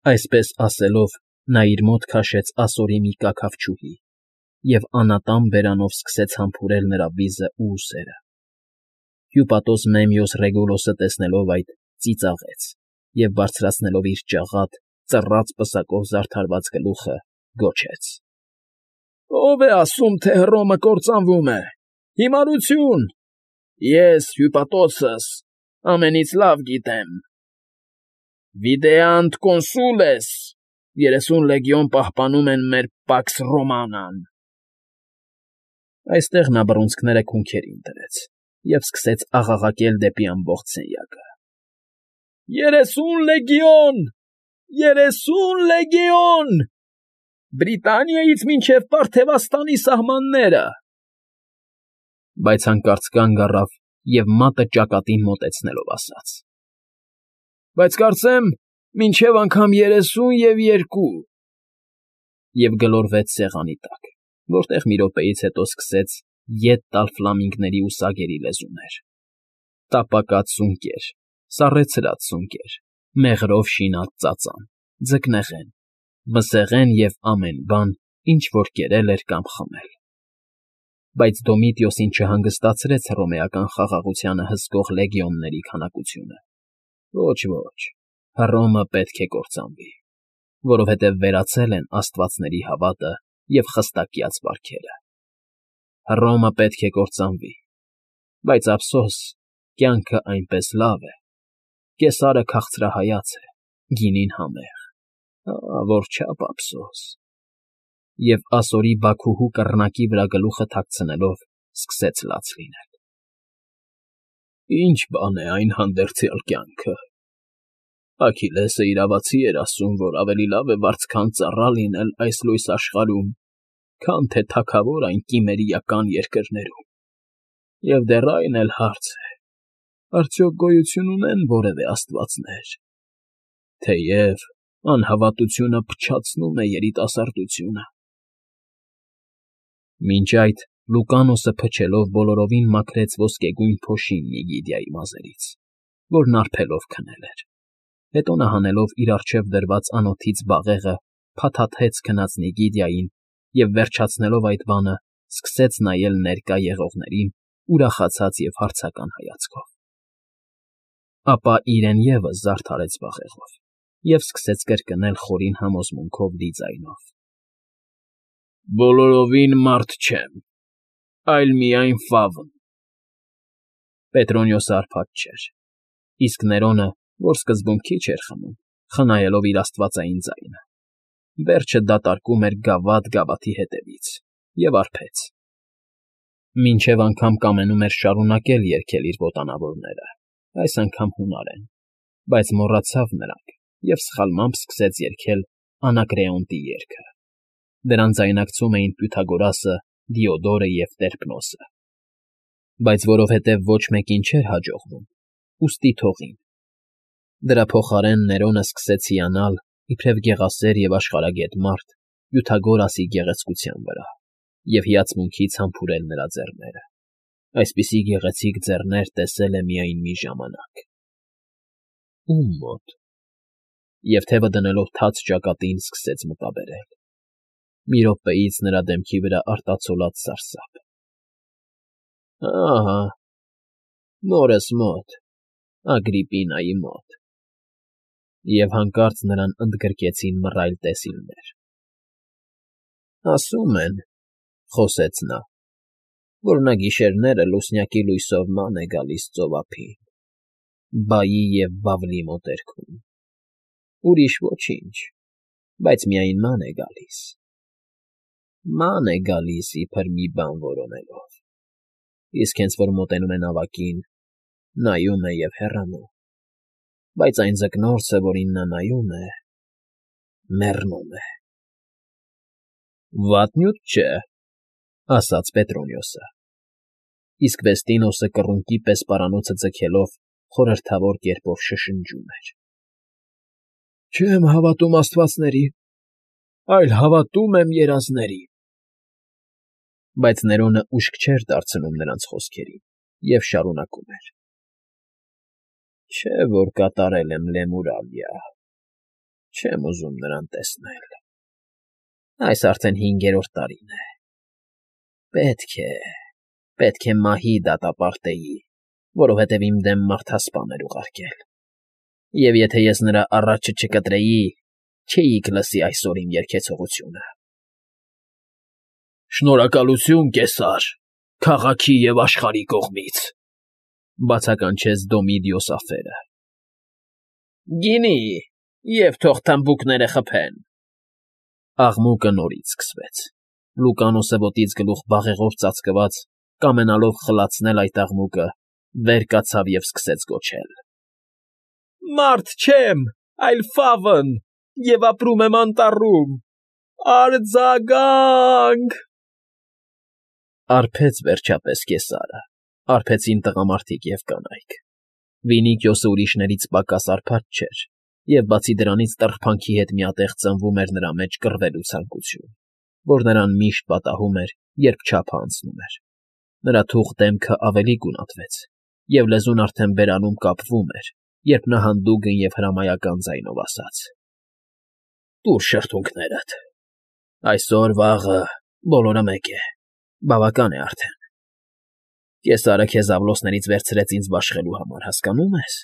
Այսպես ասելով, նա իր մոտ քաշեց ասորի մի կաքավչուհի և անատամ բերանով սկսեց համբուրել նրա վիզն ու ուսերը։ Հյուպատոս Մեմիոս Ռեգուլոսը տեսնելով այդ, ծիծաղեց և, բարձրացնելով իր ճաղատ, ծռած պսակով զարդարված գլուխը, գոչեց. «Ո՞վ է ասում, թե Հռոմը կործանվում է։ Հիմարություն… Ես, Հյուպատոսս, ամենից լավ գիտեմ։ Վիդեանտ կոնսուլես, 30 լեգիոն պահպանում են մեր Պաքս Ռոմանան»։ Այստեղ նա բռունցքները քունքերին դրեց և սկսեց աղաղակել դեպի ամբողջ սենյակը. «30 լեգիոն… 30 լեգիոն… Բրիտանիայից մինչև Պարթևաստանի սահմանները»։ Բայց հանկարծ կանգ առավ և մատը ճակատին մոտեցնելով ասաց. «Բայց կարծեմ, մինչև անգամ 32» և գլորվեց սեղանի տակ, որտեղ մի րոպեից հետո սկսեց ետ տալ ֆլամինգների ու սագերի լեզուներ. տապակած սունկեր, սառեցրած սունկեր, մեղրով շինած ծածան, ձկնեղեն, մսեղեն և ամեն բան, ինչ որ կերել էր կամ խմել։ Բայց Դոմիտիոսին չհանգստացրեց հռոմեական խաղաղությանը հսկող լեգիոնների քանակությունը։ Ոչ, Հռոմը պետք է կործանվի, որովհետև վերացել են աստվածների հավատը և խստակյաց վարքերը։ Հռոմը պետք է կործանվի, բայց ափսոս, կյանքը այնպես լավ է, կեսարը քաղցրահայաց է, գինին համեղ, որչափ ափսոս… Եվ ասորի բաքուհու կռնակի վրա գլուխը թաքցնելով սկսեց լաց լինել։ Ի՞նչ բան է այն հանդերձյալ կյանքը… Աքիլեսը իրավացի էր ասում, որ ավելի լավ է վարձքան ծառա լինել այս լույս աշխարհում, քան թե թագավոր այն կիմերիական երկրներում։ Եվ դեռ այն էլ հարց է. արդյոք գոյություն ունե՞ն որևէ աստվածներ, թեև անհավատությունը փչացնում է երիտասարդությունը։ Մինչ այդ Լուկանոսը փչելով բոլորովին մաքրեց ոսկեգույն փոշին Նիգիդիայի մազերից, որն արբելով քնել էր։ Հետո նա հանելով իր առջև դրված անոթից բաղեղը փաթաթեց քնած Նիգիդիային և, վերջացնելով այդ բանը, սկսեց նայել ներկա եղողներին ուրախացած և հարցական հայացքով։ Ապա իրեն ևս զարդարեց բաղեղով և սկսեց կրկնել խորին համոզմունքով լի ձայնով. «Բոլորովին մարդ չեմ, այլ միայն ֆավն»։ Պետրոնիոսը հարբած չէր, իսկ Ներոնը, որ սկզբում քիչ էր խմում, խնայելով իր աստվածային ձայնը, վերջը դատարկում էր գավաթ գավաթի հետևից, և արբեց։ Մինչև անգամ կամենում էր շարունակել երգել իր ոտանավորները, այս անգամ հունարեն, բայց մոռացավ նրանք և սխալմամբ սկսեց երգել Անակրեոնտի երգը։ Դրան ձայնակցում էին Պյութագորասը, Դիոդորը և Տերպնոսը։ Բայց որովհետև ոչ մեկին չէր հաջողվում, ուստի թողին։ Դրա փոխարեն Ներոնը սկսեց հիանալ, իբրև գեղասեր և աշխարհագետ մարդ, Պյութագորասի գեղեցկության վրա և հիացմունքից համբուրել նրա ձեռները։ Այսպիսի գեղեցիկ ձեռներ տեսել է միայն մի ժամանակ։ Ո՞ւմ մոտ։ Եվ թևը դնելով թաց ճակատին սկսեց մտաբերել։ Մի րոպեից նրա դեմքի վրա արտացոլած սարսափ։ Ահա, մորս մոտ, Ագրիպինայի մոտ։ Եվ հանկարծ նրան ընդգրկեցին մռայլ տեսիլներ։ «Ասում են, ֊ խոսեց նա, ֊ որ նա գիշերները լուսնյակի լույսով ման է գալիս ծովափին, բայի և բավլի մոտերքում, ուրիշ ոչինչ, բայց միայն ման է գալիս, ման է գալիս իբր մի բան որոնելով, իսկ հենց որ մոտենում է նավակին, նայում է և հեռանում, բայց այն ձկնորսը, որին նա նայում է, մեռնում է»։ ֊ Վատ նյութ չէ, ֊ ասաց Պետրոնիոսը, իսկ Վեստինոսը կռունկի պես պարանոցը ձգելով խորհրդավոր կերպով շշնջում էր. Չեմ հավատում աստվածների, այլ հավատում եմ երազների։ Բայց Ներոնը ուշք չէր դարձնում նրանց խոսքերին և շարունակում էր. Չէ՞ որ կատարել եմ Լեմուրալիա, Չեմ ուզում նրան տեսնել։ Այս արդեն 5-րդ տարին է։ Պետք է մահի դատապարտեի, որովհետև իմ դեմ մարդասպան էր ուղարկել։ Եվ եթե ես նրա առաջը չկտրեի, չէիք լսի այսօր իմ երգեցողությունը։ Շնորհակալություն, կեսար, քաղաքի և աշխարհի կողմից, բացականչեց Դոմիդիոս ափերը։ Գինի, և թող թմբուկները խփեն։ Աղմուկը նորից սկսվեց։ Լուկանոսը ոտից գլուխ բաղեղով ծածկված, կամենալով խլացնել այդ աղմուկը, վեր կացավ և սկսեց գոչել. Մարդ չեմ, այլ ֆավն, և ապրում եմ անտառում, արձագանք… Արբեց վերջապես կեսարը, արբեցին տղամարդիկ և կանայք։ Վինիքիոսը ուրիշներից պակաս արբած չէր, և բացի դրանից տրփանքի հետ միատեղ ծնվում էր նրա մեջ կռվելու ցանկություն, որ նրան միշտ պատահում էր, երբ չափը անցնում էր։ Նրա թուխ դեմքը ավելի գունատվեց, և լեզուն արդեն բերանում կապվում էր, երբ նա հանդուգն և հրամայական ձայնով ասաց. Տուր շրթունքներդ։ Այսօր֊վաղը բոլորը մեկ է, բավական է արդեն։ Կեսարը քեզ աղլոսներից վերցրեց ինձ բաշխելու համար, հասկանո՞ւմ ես։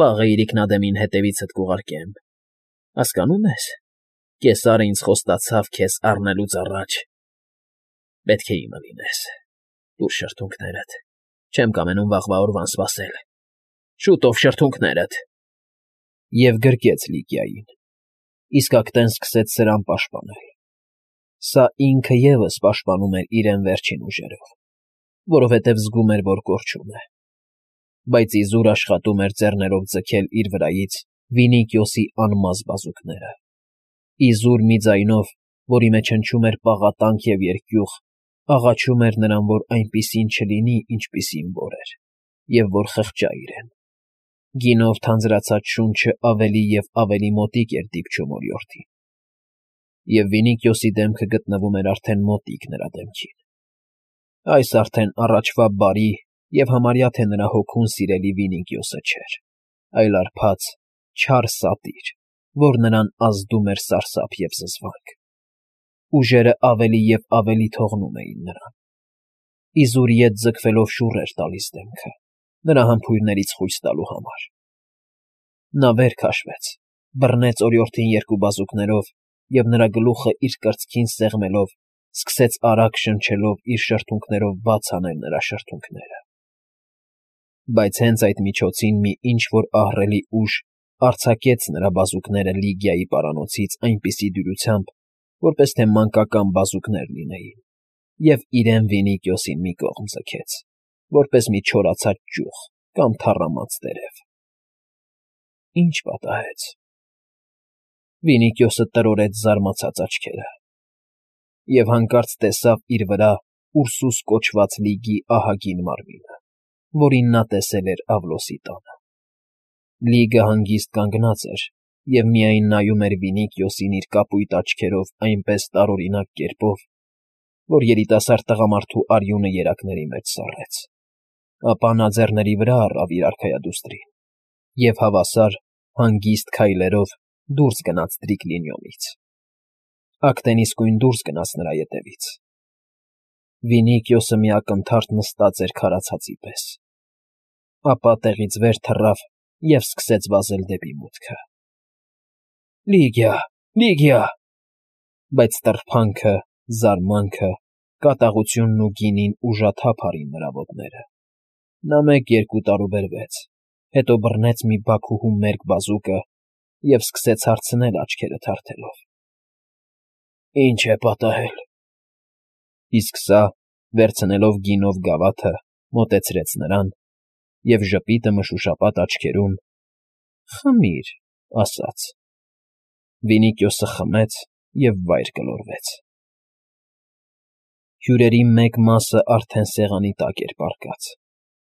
Վաղը իրիկնադեմին հետևիցդ կուղարկեմ, հասկանո՞ւմ ես։ Կեսարը ինձ խոստացավ քեզ առնելուց առաջ։ Պետք է իմը լինես։ Տուր շրթունքներդ, չեմ կամենում վաղվա օրվան սպասել։ Շուտով շրթունքներդ… Եվ գրկեց Լիգիային, իսկ ակտեն սկսեց սրան պաշտպանել։ Սա ինքը ևս պաշտպանում էր իրեն վերջին ուժերով, որովհետև զգում էր, որ կորչում է։ Բայց իզուր աշխատում էր ձեռներով ձգել իր վրայից Վինիքիոսի անմազ բազուկները։ Իզուր մի ձայնով, որի մեջ հնչում էր պաղատանք և երկյուղ, աղաչում էր նրան, որ այնպիսին չլինի, ինչպիսին որ էր, և որ խղճա իրեն։ Գինով թանձրացած շունչը ավելի և ավելի մոտիկ էր դիպչում օրիորդին։ Եվ Վինիքիոսի դեմքը գտնվում էր արդեն մոտիկ նրա դեմքին։ Այս արդեն առաջվա բարի և համարյա թե նրա հոգուն սիրելի Վինիքիոսը չէր, այլ արբած, չար սատիր, որ նրան ազդում էր սարսափ և զզվանք։ Ուժերը ավելի և ավելի թողնում էին նրան։ Իզուր ետ ձգվելով շուռ էր տալիս դեմքը, նրա համբույրներից խույս տալու համար։ Նա վեր քաշվեց, բռնեց օրիորդին երկու բազուկներով և նրա գլուխը իր կրծքին սեղմելով, սկսեց արագ շնչելով իր շրթունքներով բաց անել նրա շրթունքները։ Բայց հենց այդ միջոցին մի ինչ֊որ ահռելի ուժ արձակեց նրա բազուկները Լիգիայի պարանոցից այնպիսի դյուրությամբ, որպես թե մանկական բազուկներ լինեին, և իրեն Վինիքիոսին մի կողմ ձգեց, որպես մի չորացած ճյուղ կամ թառամած տերև։ Ինչ պատահեց։ Վինիքիոսը տրորեց զարմացած աչքերը և հանկարծ տեսավ իր վրա Ուրսուս կոչված լիգի ահագին մարմինը, որին նա տեսել էր Ավլոսի տանը։ Լիգը հանգիստ կանգնած էր և միայն նայում էր Վինիքիոսին իր կապույտ աչքերով այնպես տարօրինակ կերպով, որ երիտասարդ տղամարդու արյունը երակների մեջ սառեց։ Ապա նա ձեռների վրա առավ իր արքայադուստրին և հավասար, հանգիստ քայլերով դուրս գնաց Տրիկլինիումից։ Ակտեն իսկույն դուրս գնաց նրա ետևից։ Վինիքիոսը մի ակնթարթ նստած էր քարացածի պես։ Ապա տեղից վեր թռավ և սկսեց վազել դեպի մուտքը։ Լիգիա, Լիգիա… Բայց տրփանքը, զարմանքը, կատաղությունն ու գինին ուժաթափ արին նրա ոտները։ Նա մեկ֊երկու տարուբերվեց, հետո բռնեց մի բաքուհու մերկ բազուկը և սկսեց հարցնել աչքերը թարթելով. Ինչ է պատահել։ Իսկ սա, վերցնելով գինով գավաթը, մոտեցրեց նրան և ժպիտը մշուշապատ աչքերում. Խմիր, ասաց։ Վինիքիոսը խմեց և վայր գլորվեց։ Հյուրերի մեկ մասը արդեն սեղանի տակ էր պառկած։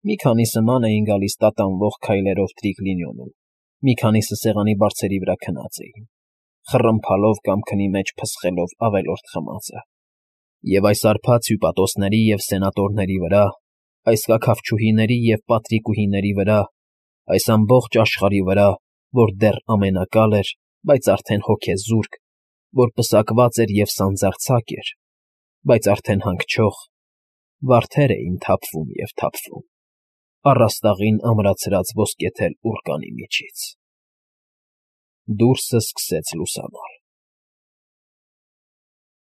Մի քանիսը ման էին գալիս տատանվող քայլերով Տրիկլինիոնում, մի քանիսը սեղանի բարձերի վրա քնած էին, խռմփալով կամ քնի մեջ փսխելով ավելորդ խմածը։ Եվ այս արբած հյուպատոսների և սենատորների վրա, այս կաքավչուհիների և պատրիկուհիների վրա, այս ամբողջ աշխարհի վրա, որ դեռ ամենակալ էր, բայց արդեն հոգեզուրկ, որ պսակված էր և սանձարձակ էր, բայց արդեն հանգչող, վարդեր էին թափվում և թափվում, առաստաղին ամրացրած ոսկեթել ուռկանի միջից… Դուրսը սկսեց լուսանալ։